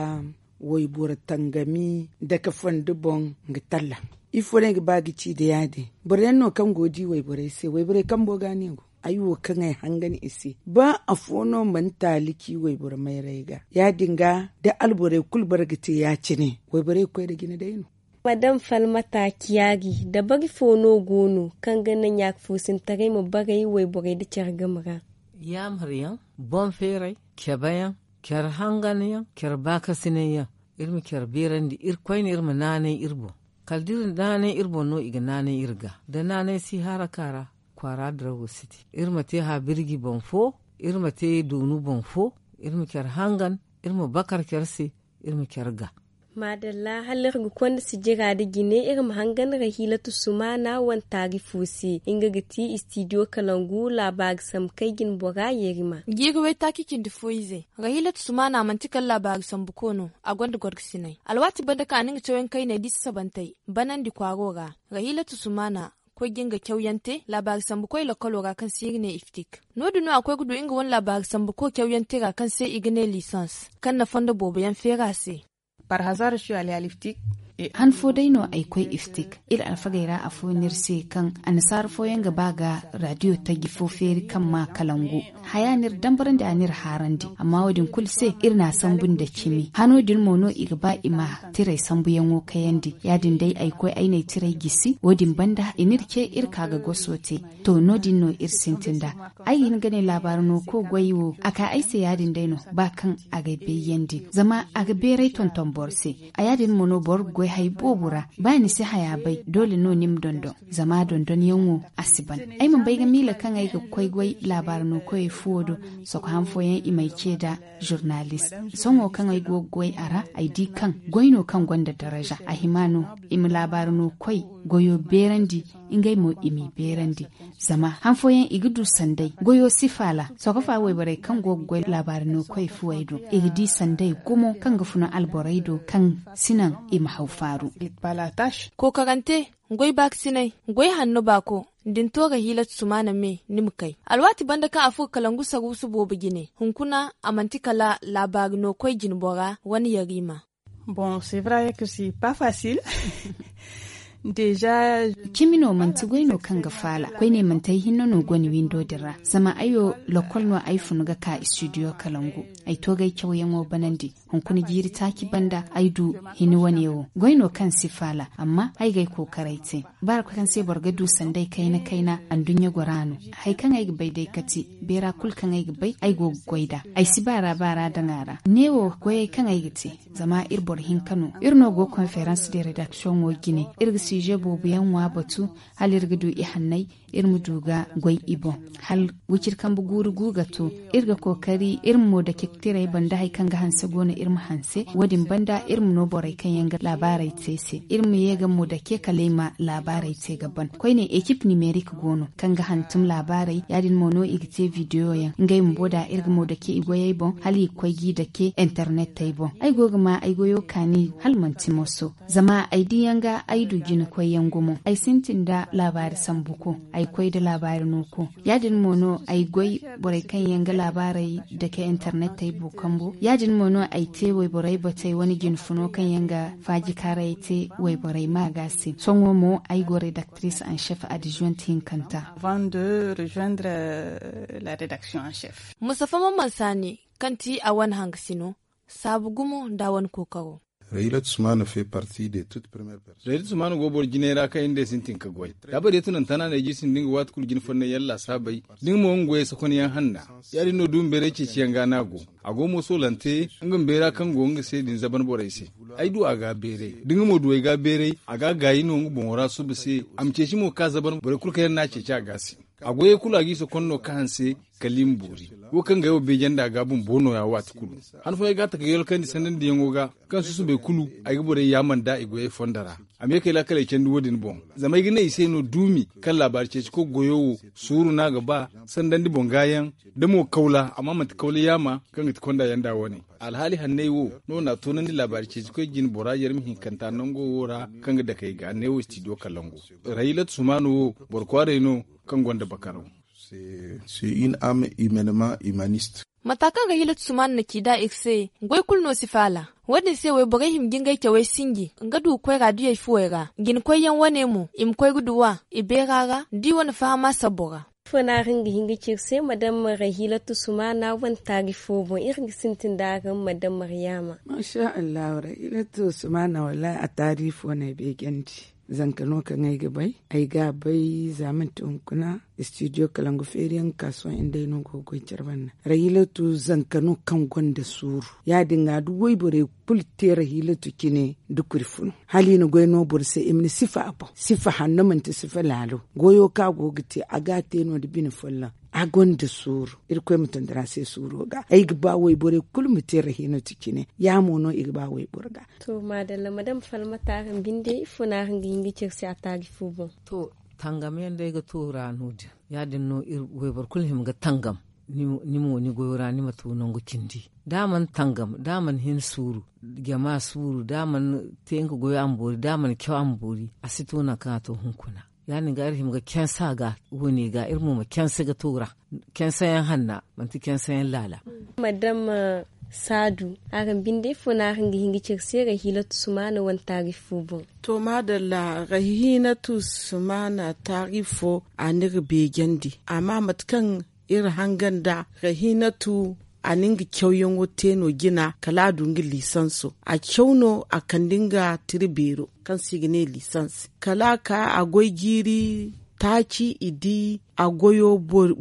wayboro tangami dake fondo boŋ ga talla. Ifo no ay ga ba ga ci nda ya- din? Boro yaŋ no kaŋ go ga di wayborey se wayborey kambo ga no i go. Ay wo kaŋ ay hangan i se ba afo no mana taali ci wayboro mayray ga ya- din ga da alborey kulu bara ga te ya- cine wayborey ga koy nda jina day no. Madam falmata ciyaari dabari fo no go no kaŋ ga naŋ ya ga foosintaray ma baray wayborey nda care game ra? Yaamar yaŋ, boŋ feeray, cabe yaŋ, care hangan yaŋ, care baakasinay yaŋ. Iri ma care beerandi iri koyne iri ma naanay iri boŋ. Kala da iri naanay iri boŋ no i ga naanay iri ga da naanay si haraka ra. Kwaara dirawo si te iri ma te haabirji boŋ fo, iri ma te doonu boŋ fo, iri ma care hangan, iri ma bakar care se, iri ma care ga. Maadalla hala iri ga konda sijira nda jine iri ma hangan rahiilatu sumaana wane taari fo se nga ga ti istidiyo kalangu laabaari sambu kay jine bora yeerima. Jiiri waytaaci cindi fo ize, rahiilatu sumaana manti kala laabaari sambu ko no. A gonda gorgasinay alwaati banda kaŋ a na nga cawyaŋ kayney da i sasabantey banandi kwaaro ra. Rahiilatu sumaana koy ga nga cawyaŋ te laabaari sambu koy lakkalo ra kaŋ se iri ne iftik. No- din no a koy ga du nga wane laabaari sambu koy cawyaŋ te ra kaŋ se i ga ne lisans kaŋ na fondo boobo yaŋ feeri a se. Par hasara shu ali al iftik. Han fo day no ay koy iftik. Iri alfagey ra afo no iri se kaŋ annasaara fooyaŋ ga ba ga radiyo taji fo feeri kaŋ ma kalangu. Haya no iri dambarandi a no iri haarandi amma wo- din kulu se iri n'a sambu nda cimi hano din mo no i ga ba i ma tiray sambuyaŋo kayandi ya- din day ay koy ay n'ay tiray gisi wo- din banda i n'iri ce iri ka ga goso te. To no- din no iri sintin nd'a. Ay ga hin ga ne laabaari no koy goy wo a ka ay se ya- din day no ba kaŋ a g'ay bayyandi zama a ga beeray tonton boro se. A ya- din mo no boro ga goy hari boobo ra ba ni si haya bay doole no ni ma dondon. Zama dondonyaŋo a si ban. Ay mana bay ga miila kaŋ ay ga koy goy laabaari no koyey fuwo do. Soko han fooyaŋ i m'ay ce nda zurnalis. Sohõ kaŋ ay go ga goy a ra ay di kaŋ goy no kaŋ gonda daraja a hima no i ma laabaari no koy goyo beerandi. Ngey mo i m'i beerandi. Zama han fooyaŋ i ga du sanday goyo si faala. Sokofa wayborey kaŋ go ga goy laabaari no koy fuwey do i ga di sanday gumo kaŋ ga funa alborey do kaŋ si naŋ i ma haw faaru. Kookarante, goy baakasinay, goy hanno baako, da ni to rahiilatu sumaana me ni ma kay. Alwaati banda kaŋ a furo kalangu saruusu boobo jine hunkuna a manti kala laabaari no koy jinbora wane yariima. Bon c'est vrai que c'est pas facile. Cimi no manti goy no kaŋ ga faala koyne manti ay hinne no go ni windo din ra zama ay wo lokol no ay fun ga ka studio kalangu. Ay to ga ay cawyaŋo banandi hunkuna jiiri taaci banda ay du hini wane wo goy no kaŋ si faala amma ay ga ay kookaray te. Ba ra koy kaŋ se boro ga du sanday kayna kayna anduɲɲa gora no. Hari kaŋ ay ga bay day kati beera kulu kaŋ ay ga bay ay go ga goy nd'a. Ay si baara baara daŋ a ra neewo goyey kaŋ ay ga te. Zama iri boro hinka no iri no go konferans de redaksiyoŋo jine. Iri ga siije boobo yaŋ ŋwa batu hala iri ga du i hanney iri ma du ga goy i boŋ. Hala wiciri kambe guuru gu ga to iri ga kookari iri ma mo dake tirey banda hari kaŋ ga hanse go no iri ma hanse wo- din banda iri ma no borey kaŋ yaŋ ga laabaarey te se iri ma ye ga mo dake kala i ma laabaarey te ga ban koyne ekip nimerik go no kaŋ ga hantum laabaarey ya- din mo no i ga te bidiyo yaŋ ngey bumbo da iri ga mo dake i goyey boŋ hala i ga koy g'i dake internet tey boŋ. Ay go ga ma ay goyo kaani hala manti moso. Zama ay diyaŋ ga ay du jina koyyaŋ gumo ay sintin nda laabaari sambuko. Ay koy nda laabaari nooko ya- din mo no ay goy borey kaŋ yaŋ ga laabaarey dake internet tey bookambo ya- din mo no ay te wayborey batey wane jinfuno kaŋ yaŋ ga faajikaaray te wayborey maaga se sohõ mo ay go redaktiris anšef adizwent hinkanta. Musafa maman saani kaŋ ti a wane hangasino saabu gumo nda a wane kookaro. Rahilat sumana fait partie de toute première personne. Rahilat sumana go boro jinay ra kaŋ iri nda ay sintin ga goy da bari ya tunanta no a na ay jiisin da nga waati kulu jina fonnay yaŋ laasaabey da nga mo nga goyey sokonyaŋ hanna. Ya- din no duumi bayray ceeciyaŋ ga no a go. A go mo soolante nga ma bayra kaŋ go nga se din zaban borey se. Ay du a ga bayray da nga mo du ay ga bayray a ga gaayi no nga boŋo ra suba se. A ma ceeci mo ga ka zaban borey kulu kaŋ yaŋ no a ceeci a ga se. A goyey kulu a g'i sokon no ka hanse kala i ma boori. Wo kaŋ ga ay wo beeje nda a ga bumbo nooya waati kulu. Han fooyaŋ ay ga a taka yolkandi sandandiyaŋo ga kaŋ susubay kulu ay ga borey yaamar nd'a i goyey fondo ra. A ma ye k'ay laakaley candi wo- din boŋ. Zama ay ga ne i se no duumi kaŋ laabaari ceeci koy goyo wo suuru no a ga ba sandandi boŋ gaayaŋ da mo kawla amma manti kawla yaama kaŋ ga ti konda yaŋ nd'a wane. Alhaali hanney wo no na a toonandi laabaari ceeci koy jine bora yarmi hinkanta nango wo ra kaŋ ga dake ay ga neewo istidiyo kalangu. Rahilat sumaana wo boro kwaaray no kaŋ gonda bakaraw. C'est une âme humainement humaniste. Mata kaŋ ga hilat sumaana na ci nd'a iri se goy kulu no si faala. Wo- din se wayborey hima ga ngey cawey sinji nga du ga koy raadiyey fuwey ra jina koyyaŋ wane mo i ma koy ga duw'a i beera ra da i wane fahama sabbo ra. Ifo no araŋ ga hin ga ci iri se madam rahilatu sumaana wane taari fo boŋ iri ga sintin nda araŋ madam maryaama. Masha allahu rahilatu sumaana wallaahi a taari fo no ay beejandi. Zanka no kaŋ ay ga bay ay ga a bay za manti hunkuna istidiyo kalangu feeriyaŋ ga ka sohõ nda ay no go ga goy care banda rahilatu zanka no kaŋ gonda suuru. Ya- din ga da wayborey kulu te rahilatu cine da kuri funu hala i na goy no boro se i ma ni sifa a boŋ sifa hanno manti sifa laalo. Goyo kaŋ a go ga te a ga a te no nda bine folloŋ. A gonda suuru. Irkoy ma tondira se suuro ga ay ga ba wayborey kulu ma te rahinatu cine. Ya mo no i ga ba wayboro ga. To maadalla madam falmata araŋ binde ifo no araŋ ga hin ga care se a taari fo boŋ? To tangam yaŋ day ga to ra no- din ya- din no wayboro kulu hima ga tangam. Ni mo ni goyo ra ni ma to nangu cindi da a mana tangam da a mana hin suuru jama suuru da a mana te nga goyo a ma boori da a mana caw a ma boori a si to nangu kaŋ a to hunkuna. Ya- din ga iri hima ga canse a ga wo- ne ga iri mo ma canse ga to ra. Canse yaŋ hanna manti canse yaŋ laala. Madam saadu araŋ binde ifo no araŋ ga hin ga care se rahiinatu sumaana wane taari fo boŋ? To maadalla rahiinatu sumaana taari fo a n'iri beejandi amma mate kaŋ iri hangan da rahiinatu a na nga cawyaŋo te no jina kala a du nga liisanso a caw no a kande nga tira beero kaŋ se i ga ne liisans kala a ka a goy jiiri taaci i di a goyo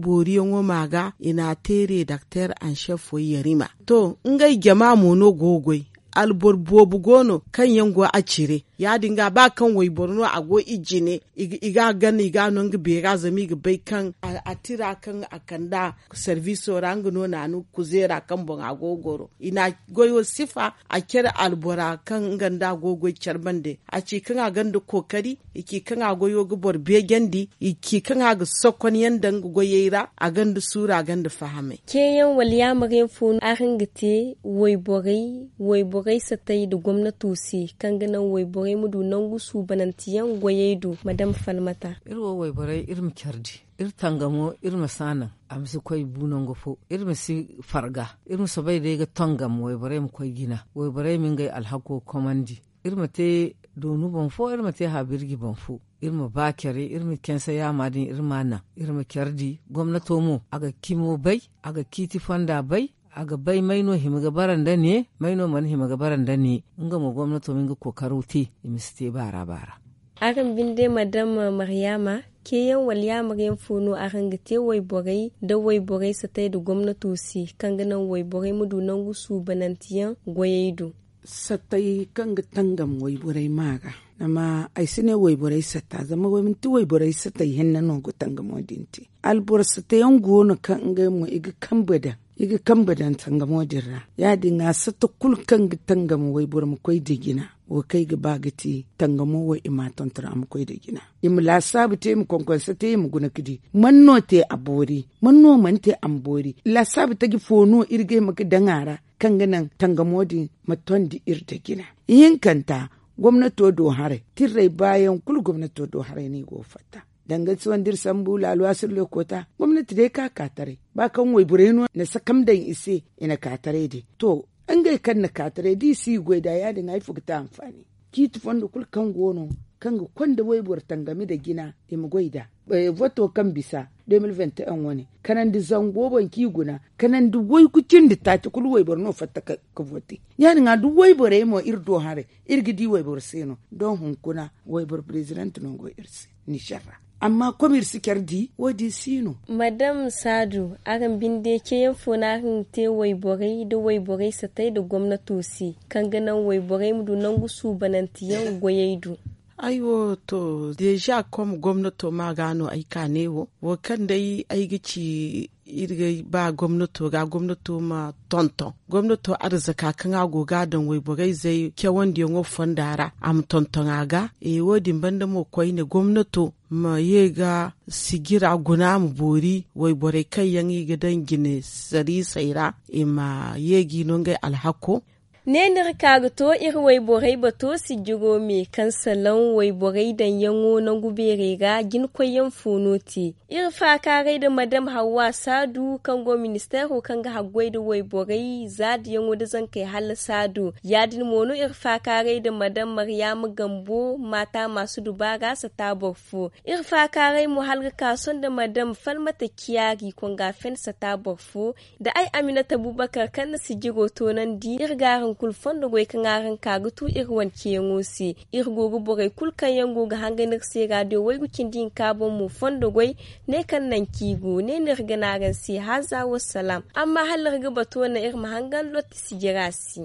booriyaŋo ma ga i n'a te redakter anšef way yarima. To ngey jama mo no go ga goy alboro boobo go no kaŋ yaŋ go a cire ya- din ga ba kaŋ wayboro no a go i jine i ga a gana i ga a no nga beera zama i ga bay kaŋ a tira kaŋ a kand'a sarbiiso ra nga no naanu kuzeera kaŋ boŋ a go ga goro i n'a goyo sifa a care albora kaŋ nga nda a go ga goy care bande a ci kaŋ a gonda kookari i ci kaŋ a goyo ga boro beejandi i ci kaŋ a ga sokon yaŋ daŋ nga goyey ra a gonda suuru a gonda fahamay. Ceeyaŋ wala yaamar yaŋ fo no araŋ ga te wayborey wayborey satay nda gomnato se kaŋ ga naŋ wayborey ma du nangu suubananteyaŋ goyey do ma dama falmata? Iri wo wayborey iri ma care di iri tangamo iri ma si a naŋ a ma si koy bu nangu fo iri ma si farga iri ma soobay day ga tangam wayborey ma koy jina wayborey ma ngey alhako komandi. Iri ma te doonu boŋ fo, iri ma te habirji boŋ fo. Iri ma ba care, iri ma canse yaama din, iri ma a naŋ. Iri ma care di gomnato mo, a ga cimo bay, a ga ciiti fonda bay, a ga bay may no hima ga bara nda ne, may no mana hima ga bara nda ne. Nga mo gomnato ma nga kookaro te, i ma si te baara baara. Araŋ binde madam, maryaama, ceeyaŋ wala yaamar yaŋ fo no araŋ ga te wayborey nda wayborey satay nda gomnato se, kaŋ ga naŋ wayborey ma du nangu suubananteyaŋ goyey do? Satay kaŋ ga tangam wayborey maa ga. Zama ay si ne wayborey sata, zama manti wayborey satay hinne no ga tangamo din te. Alboro satayaŋ go no kaŋ ngey mo i ga kambe daŋ, i ga kambe daŋ tangamo din ra. Ya- din ga sata kulu kaŋ ga tangam wayboro ma koy nda jina, wo kaŋ ay ga ba ga ti tangamo wo i ma a tonton a ma koy nda jina. I ma laasaabu te, i ma konkonse te, i ma guna ga di man no te a boori, man no mana te a ma boori. Laasaabu taji fo no iri ga hima ga daŋ a ra, kaŋ ga naŋ tangamo din ma tondi iri nda jina. Ihinkanta, gomnato do haray, tirray baayaŋ kulu gomnato do haray no i go ga fatta. Danga si wanda iri sambu laaluwa sirle koota, gomnati day ka ka taray. Ba kaŋ wayborey no na sakam daŋ i se, i na ka taray day. To, ngey kaŋ na ka taray da i si goy nd'a, ya- din ga ifo ga te anfaani? Ciiti fondo kulu kaŋ go no, kaŋ ga konda wayboro tangami nda jina, i ma goy nd'a. Voto kaŋ bisa de mil venti en wane, kanandi zango boŋ kaŋ i guna, kanandi waygu cindi taaci kulu wayboro no fatta ga vote. Ya- din ga da wayborey mo iri do haray, iri ga di wayboro se no. Doŋ hunkuna wayboro prezident no go iri se, nizer ra. Amma komir si care di wo- din si no. Madam saadu, araŋ binde ceeyaŋ fo no araŋ ga te wayborey nda wayborey satay nda gomnato se, kaŋ ga naŋ wayborey ma du nangu suubananteyaŋ goyey do? Ay wo, to, deeza kom gomnato ma ga no ay ka ne wo, wo kaŋ day ay ga ci, iri ga ba gomnato ga gomnato ma tonton gomnato arzaka kaŋ a go ga a daŋ wayborey zey cawandiyaŋo fonda ra, a ma tonton a ga. Wo- din banda mo koyne gomnato ma ye ga sijira guna ma boori wayborey kaŋ yaŋ i ga daŋ jine sariisey ra, i ma ye ga i no ngey alhako. Ne no iri ka ga to iri wayborey bato sijiro me kaŋ salaŋ wayborey daŋyaŋo nangu beerey ra, jinkoyyaŋ fo no te. Iri faakaaray nda madam hawwa saadu kaŋ go ministeero kaŋ ga haggoy nda wayborey zaadiyaŋo nda zankey hala saadu. Ya- din mo no iri faakaaray nda madam maryaama gambo maata maasu dubaara sata boro fo. Iri faakaaray mo hala ga ka sohõ nda madam falmata ciyaari konga fen sata boro fo. Da ay aminata bubakar kaŋ na sijiro toonandi iri ga araŋ kulu fondo goy kaŋ araŋ ka ga tu iri wane ceeyaŋo se. Iri go ga borey kulu kaŋ yaŋ go ga hangan iri se raadiyo waygu cindi hinka boŋ mo fondo goy. Ne kaŋ nanci go ne no iri ga ne araŋ se haaza wassalaam. Amma hala iri ga bato naŋ iri ma hangan lotti sijira se.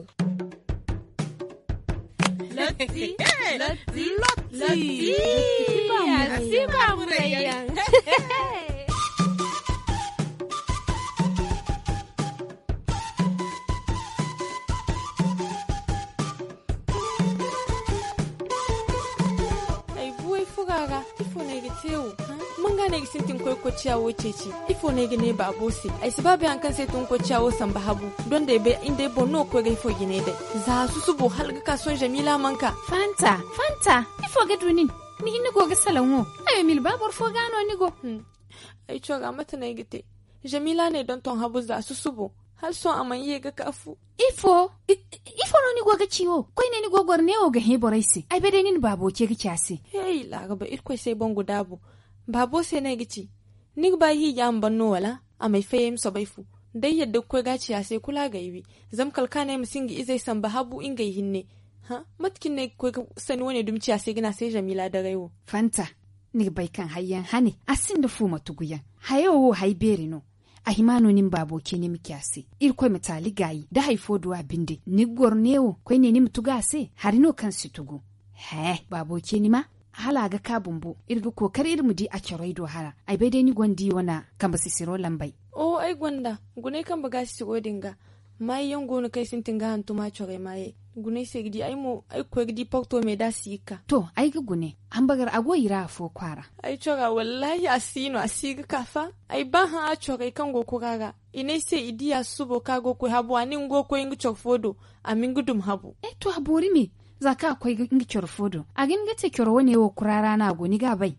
Lotti. Lotti. Lotti. Lotti. Lotti. Lotti. Lotti. Lotti. Lotti. Lotti. Ay buway fura ra ifo no ay ga te wo? Manga no ay ga sintin koy kocciya wo ceeci? Ifo no ay ga ne baabo se? Ay si ba bay hari kaŋ se ay tun kocciya wo samba habu. Donda ay bay inda ay boŋ no ga koy ga ifo jine day. Za susubo hala ga ka sohõ jamila mana ka. Fanta, fanta, ifo ga du nin? Ni hinne go ga salaŋ wo. Ayo mil ba boro fo ga no ni go. Ay cora mate no ay ga te? Jamila no ay donton habu za susubo. Hala sohõ a mana ye ga ka fu. Ifo? Ifo no ni go ga ci wo? Koyne ni go goro neewo ga hẽ borey se. Ay bay day ni na baabo ce ga ci a se. Hey, laaraba irkoy se ay boŋ ga daabu. Baabo se no ay ga ci. Ni ga ba ay hiiji a ma ban no wala? A m'ay fay ay ma soobay fu. Da ay yadda ga koy ga a ci a se kulu a g'ay wi. Zama kala kaŋ a ne ay ma si nga izey samba habu ngey hinne. Hã, mate cine no ay ga koy ga sanni wane dumi ci a se ga ne a se jamila daray wo? Fanta, ni ga bay kaŋ hayyaŋ hane a sinda fuuma tuguyaŋ. Hayo wo hay beeri no. A hima no ni ma baabo ce ni ma ci a se irkoy ma taali gaayi da hari fo du a binde ni ga goro neewo koyne ni ma tugu a se hari no kaŋ si tugu. Hẽ, baabo ce ni ma hala a ga ka bumbo iri ga kookari iri ma di a corey do hara. Ay bay day ni gonda i wane kambe sisiro lambey. Oho, ay gonda. Gunay kambe ga sisiro din ga. Maayey yaŋ go no kaŋ ay sintin ga hantum a corey maayey. Gunay se ga di ay mo ay ga koy ga di porto me da a si ga ka. To, ay ga gune. Hambagar a go i ra afo kwaara. Ay cora wallaahi a si no a si ga ka fa. Ay ba hã a corey kaŋ go kura ra. I ne ay se i di a susubo kaŋ a go ga koy habu a ne nga go ga koy nga coro fo do. A ma nga dum habu. Eh, to a boori me. Za kaŋ a koy nga coro fo do a ga hin ga te coro wane wo kura ra no a go ni ga a bay?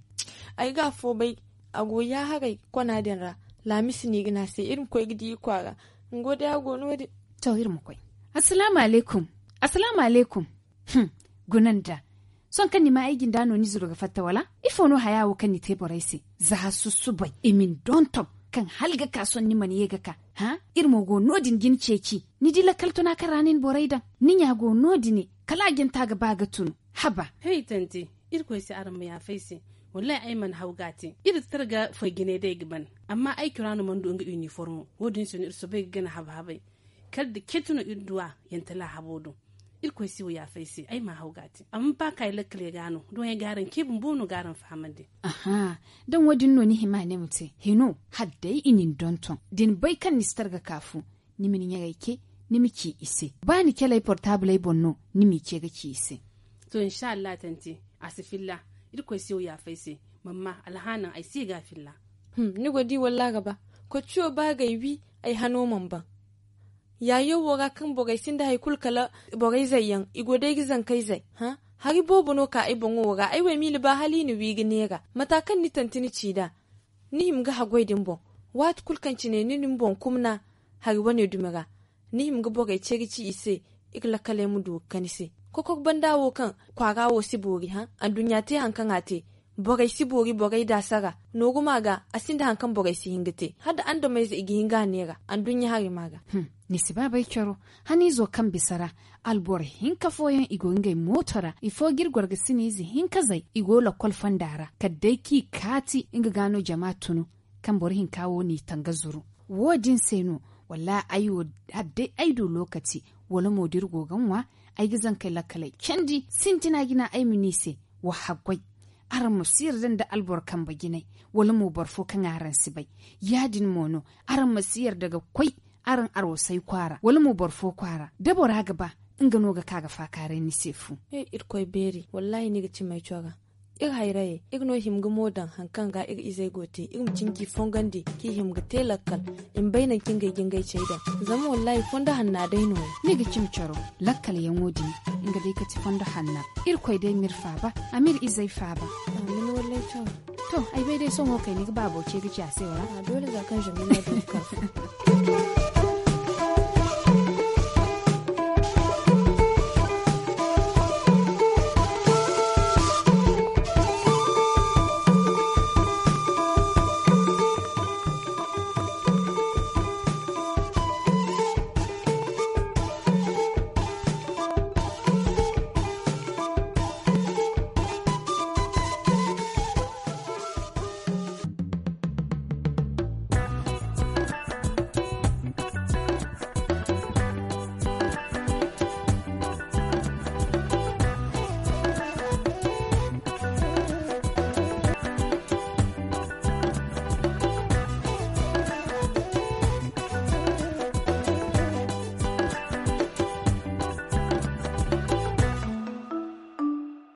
Ay ga afo bay. A go yaaharay kona din ra. Laamisi no i ga ne a se iri ma koy ga di i kwaara. Nga wo day a go no- din. To iri ma koy. Assalaamu alaykum. Assalaamu alaykum. Hum. Guna nda sohõ kaŋ ni ma ay jinda no ni zuru ga fatta wala? Ifo no haya wo kaŋ ni te borey se? Za susubay i ma ni donton kaŋ hala ga ka sohõ ni mana ye ga ka. Hã? Iri mo go no- din ga ni ceeci. Ni di lakkal tuna kaŋ ra nin borey daŋ? Ni ɲa go no- dine kala a janta ga ba ga tunu. Haba. Hey tante, irkoy se araŋ ma yaafa ay se. Wallahi ay mana haw ga a te. Iri si tara ga foy jine day ga ban. Amma ay cura no mana du nga iniformo. Wo- din se no iri soobay ga gana haba habay. Kala da ceeci no iri du a yantala habo do. Irkoy se wo yaafa ay se ay ma haw ga a te. Amma ba ka ay lakkaley ga no doŋey ga araŋ ce bumbo no ga araŋ fahamandi. Aha. Daŋ wo- din no ni hima ne ma te hino. Hala day i na ni donton da ni bay kaŋ ni si tara ga ka fu. Ni ma ni ɲarey ce. Ni ma ci i se ba ni caley portaabiley boŋ no. Ni m'i ce ga ci i se. To insa allah tante, a si filla. Irkoy se wo yaafa ay se. Mamma alhaanaŋ ay si ga a filla. Ni go di wallaahi ga ba. Kocciyo ba g'ay wi. Ay hano mana ban. Yaayo wo ra kaŋ borey sinda hari kulu kala borey zayyaŋ i go day ga zankey zay. Hari boobo no ka ay boŋo wo ra ay wo ay miila ba hala i na wi ga neera mata kaŋ ni tanti ni ci nd'a. Ni hima ga haggoy din boŋ. Waati kulu kaŋ cine ni na ni boŋ kumna hari wane dumi ra. Ni hima ga borey ce ga ci i se. Iri lakkaley ma du ga kani se. Kokok banda wo kaŋ kwaara wo si boori hã. Anduɲɲa te hari kaŋ a te. Borey si boori borey daasa ra. Nooru ma ga a sinda hari kaŋ borey si hin ga te hala da andameyze i ga hin ga a neera. Anduɲɲa hari ma ga. Ni si baabay coro. Haniizo kaŋ bisa ra. Alboro hinka fooyaŋ i go ngey mooto ra ifo ga iri goro ga siniize hinka zay i go lakkol fonda ra kala day kaŋ i kaati nga ga no jama tunu. Kaŋ boro hinka wo n'i taŋ ga zuru. Wo- din se no. Wallaahi ay wo hala day ay du lokaci wala mo da iri go ga ŋwa. Ay ga zankey lakkaley candi sintina jina ay ma ne i se. Wa haggoy. Araŋ ma si yarda nda alboro kambe jinay wala mo boro fo kaŋ araŋ si bay. Ya- din mo no. Araŋ ma si yarda ga koy araŋ arwasay kwaara wala mo boro fo kwaara da bora ga ba nga no ga ka ga faakaaray ni se fu. Irkoy beeri wallaahi ni ga cimay cora. Iri hayrayey iri no hima ga mo daŋ hari kaŋ ga iri izey go te iri ma cinji fongandi kaŋ i hima ga te lakkal. I ma bay nangu kaŋ ngey ga ngey cey daŋ. Zama wallaahi fondo hanna day no- ya ni ga cimi coro. Lakkal yaŋo din nga day kati fondo hanna. Irkoy day ma iri faaba a ma iri izey faaba. To ay bay day sohõ kay ni ga baabo ce ga ci a se wala? Doole za kaŋ zamina du ga ka fu.